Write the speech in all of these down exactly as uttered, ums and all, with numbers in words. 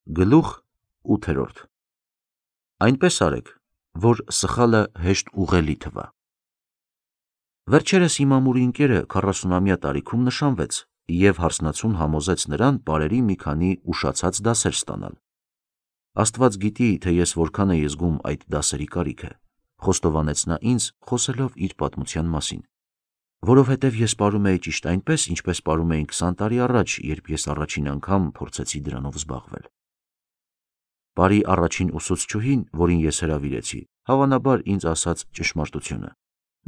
Գլուխ ութերորդ Այնպես արեք, որ սխալը հեշտ ուղղելի թվա։ Վերջերս իմ ամուրի ընկերը քառասունամյա տարիքում նշանվեց և հարսնացուն համոզեց նրան պարերի մի քանի ուշացած դասեր ստանալ։ Աստված գիտի, թե ես որքան էի զգում այդ դասերի կարիքը, խոստովանեց նա ինձ, խոսելով իր պատմության մասին, որովհետև ես պարում էի ճիշտ այնպես, ինչպես պարում էի քսան տարի առաջ, երբ ես առաջին անգամ փորձեցի դրանով զբաղվել։ Պարի առաջին ուսուցչուհին, որին ես հրավիրեցի, հավանաբար ինձ ասաց ճշմարտությունը։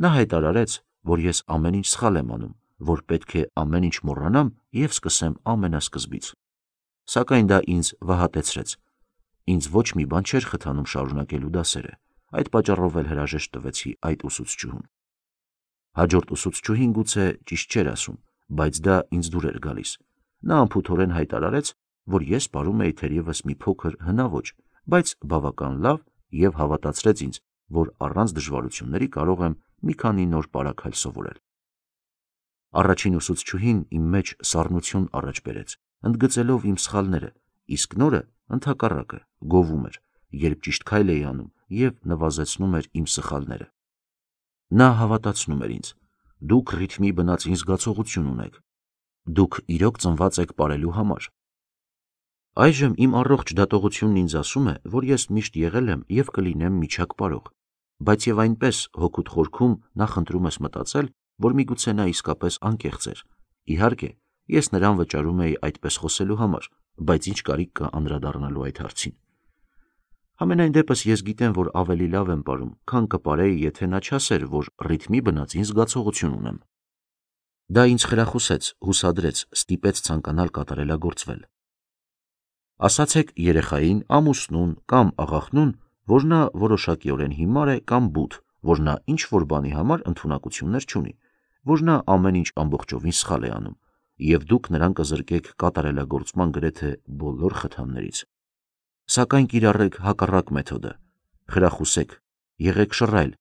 Նա հայտարարեց, որ ես ամեն ինչ սխալ եմ անում, որ պետք է ամեն ինչ մոռանամ և սկսեմ ամենասկզբից։ Սակայն դա ինձ վհատեցրեց։ Ինձ ոչ մի բան չէր խթանում շարունակելու դասերը, այդ պատճառով էլ հրաժեշտ տվեցի այդ ուսուցչուհուն։ Հաջորդ ուսուցչուհին գուցե ճիշտ չէր ասում, բայց դա ինձ դուր էր գալիս։ Նա անփութորեն հայտարարեց, որ ես պարում էի թերևս մի փոքր հնաոճ, բայց բավական լավ և հավատացրեց ինձ, որ առանց դժվարությունների կարող եմ մի քանի նոր պարագայլ սովորել։ Առաջին ուսուցչուհին իմ մեջ սառնություն առաջ բերեց, ընդգծելով իմ սխալները, իսկ նորը, ընդհակառակը, գովում էր, երբ ճիշտ քայլ էի անում և նվազեցնում էր իմ սխալները։ Նա հավատացնում էր ինձ. «Դուք ռիթմի բնածին զգացողություն ունեք։ Դուք իրոք ծնված եք պարելու համար»։ Այժմ իմ առողջ դատողությունն ինձ ասում է, որ ես միշտ եղել եմ և կլինեմ միջակ պարող, բայց և այնպես հոգուդ խորքում նախընտրում ես մտածել, որ միգուցե նա իսկապես անկեղծ էր։ Իհարկե, ես նրան վճարում էի այդպես խոսելու համար, բայց ինչ կարիք կա անդրադառնալու այդ հարցին։ Համենայն դեպս ես գիտեմ, որ ավելի լավ եմ պարում, քան կպարեի, եթե նա չասեր, որ ռիթմի բնածին զգացողություն ունեմ։ Դա ինձ խրախուսեց, հուսադրեց, ստիպեց ցանկանալ կատարելագործվել։ Ասացեք երեխային, ամուսնուն կամ աղախնուն, որ նա որոշակիորեն հիմար է կամ բութ, որ նա ինչ-որ բանի համար ընդունակություններ չունի, որ նա ամեն ինչ ամբողջովին սխալ է անում, և դուք նրան կզրկեք կատարելագործման գրեթե բոլոր խթաններից։ Սակայն կիրառեք հակառակ մեթոդը։ Խրախուսեք, եղեք շռայլ,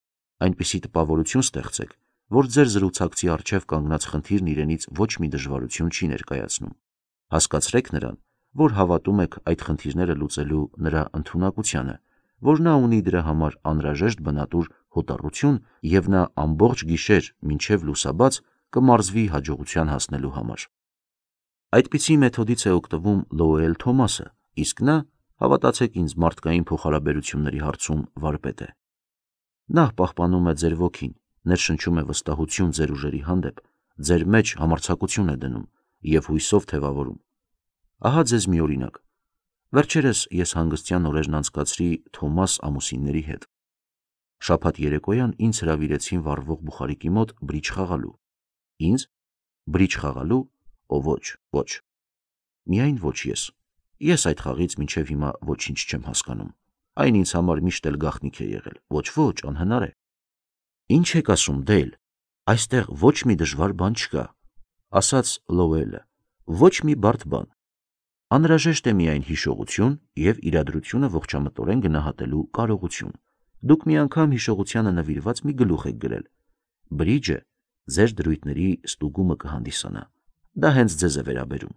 այնպիսի տպավորություն ստեղծեք, որ ձեր զրուցակցի առջև կանգնած խնդիրն իրենից ոչ մի դժվարություն չի ներկայացնում։ Հասկացրեք նրան, որ հավատում եք այդ խնդիրները լուծելու նրա ընդունակությանը, որ նա ունի դրա համար անհրաժեշտ բնատուր հոտառություն և նա ամբողջ գիշեր մինչև լուսաբաց կմարզվի հաջողության հասնելու համար։ Այդպիսի մեթոդից է օգտվում Լոուել Թոմասը, իսկ նա, հավատացեք ինձ, մարդկային փոխհարաբերությունների հարցում վարպետ է։ Նա պահպանում է ձեր ոգին, ներշնչում է վստահություն ձեր ուժերի հանդեպ, ձեր մեջ համարձակություն է դնում և հույսով թևավորում։ Ահա ձեզ մի օրինակ։ Վերջերս ես հանգստյան օրերն անցկացրի Թոմաս ամուսինների հետ։ Շաբաթ երեկոյան ինձ հրավիրեցին վառվող բուխարիկի մոտ բրիջ խաղալու։ Ինձ։ Բրիջ խաղալու։ Օ ոչ, ոչ։ Միայն ոչ ես։ Ես այդ խաղից մինչև հիմա ոչինչ չեմ հասկանում։ Այն ինձ համար միշտ էլ գաղտնիք է եղել։ Ոչ, ոչ, անհնար է։ Ինչ եք ասում, Դեյլ, այստեղ ոչ մի դժվար բան չկա, ասաց Լոուելը։ Ոչ մի բարդ բան։ Անհրաժեշտ է միայն հիշողություն և իրադրությունը ողջամտորեն գնահատելու կարողություն։ Դուք մի անգամ հիշողությանը նվիրված մի գլուխ եք գրել։ Բրիջը ձեր դրույթների ստուգումը կհանդիսանա։ Դա հենց ձեզ է վերաբերում։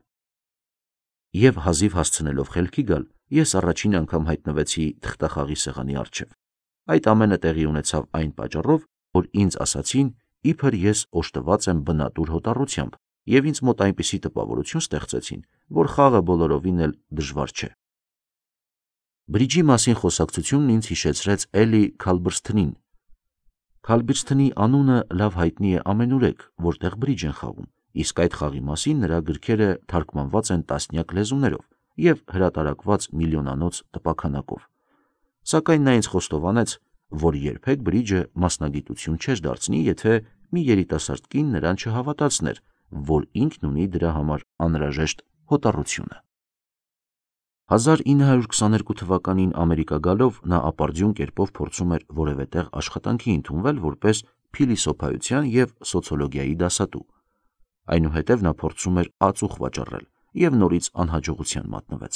Եվ հազիվ հասցնելով խելքի գալ, ես առաջին անգամ հայտնվեցի թղթախաղի սեղանի առջև։ Այդ ամենը տեղի ունեցավ այն պատճառով, որ ինձ ասացին, իբր ես օժտված եմ բնատուր հոտառությամբ, և ինձ մոտ այնպիսի տպավորություն ստեղծեցին, որ խաղը բոլորովին էլ դժվար չէ։ Բրիջի մասին խոսակցությունն ինձ հիշեցրեց Էլի Քալբըրսթընին։ Քալբիրսթոնի անունը լավ հայտնի է ամենուրեք, որտեղ բրիջ են խաղում, իսկ այդ խաղի մասին նրա գրքերը թարգմանված են տասնյակ լեզուներով և հրատարակված միլիոնանոց տպաքանակով։ Սակայն նա ինձ խոստովանեց, որ երբեք բրիջը մասնագիտություն չէր դարձնի, եթե մի երիտասարդ կին նրան չհավատացներ, որ ինքն ունի դրա համար անհրաժեշտ հոտառությունը։ հազար ինը հարյուր քսաներկու թվականին Ամերիկա գալով նա ապարդյուն կերպով փորձում էր որևէ տեղ աշխատանքի ընդունվել որպես փիլիսոփայության և սոցիոլոգիայի դասատու։ Այնուհետև նա փորձում էր ածուխ վաճառել և նորից անհաջողության մատնվեց։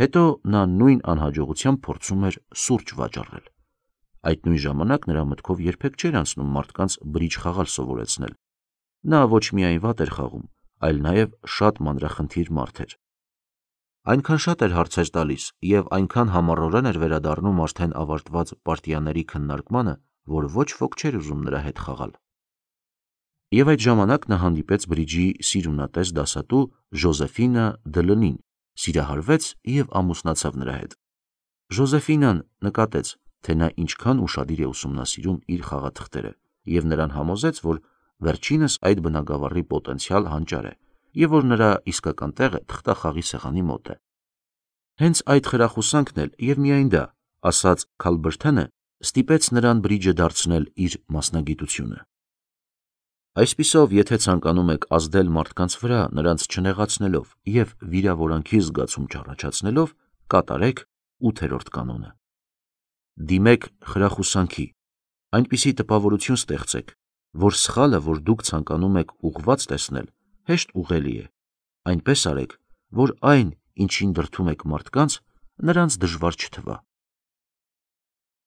Հետո նա նույն անհաջողությամբ փորձում էր սուրճ վաճառել։ Այդ նույն ժամանակ նրա մտքով երբեք չէր անցնում մարդկանց բրիջ խաղալ սովորեցնել։ Նա ոչ միայն վատ էր խաղում, այլ նաև շատ մանրախնդիր մարդ էր։ Այնքան շատ էր հարցեր տալիս և այնքան համառորեն էր վերադառնում արդեն ավարտված պարտիաների քննարկմանը, որ ոչ ոք չէր ուզում նրա հետ խաղալ։ Եվ այդ ժամանակ նա հանդիպեց բրիջի սիրունատես դասատու Ժոզեֆինա Դլնին, սիրահարվեց և ամուսնացավ նրա հետ։ Ժոզեֆինան նկատեց, թե նա ինչքան ուշադիր է ուսումնասիրում իր խաղաթղթերը և նրան համոզեց, որ վերջինս այդ բնագավառի պոտենցիալ հանճար է և որ նրա իսկական տեղը թղթախաղի սեղանի մոտ է։ Հենց այդ խրախուսանքն էլ և միայն դա, ասաց Քալբրթենը, ստիպեց նրան բրիջը դարձնել իր մասնագիտությունը։ Այսպիսով, եթե ցանկանում եք ազդել մարդկանց վրա, նրանց չնեղացնելով և վիրավորանքի զգացում չառաջացնելով, կատարեք ութերորդ կանոնը։ Դիմեք խրախուսանքի, այնպիսի տպավորություն ստեղծեք, որ սխալը, որ դուք ցանկանում եք ուղղված տեսնել, հեշտ ուղղելի է, այնպես արեք, որ այն, ինչին դրդում եք մարդկանց, նրանց դժվար չթվա։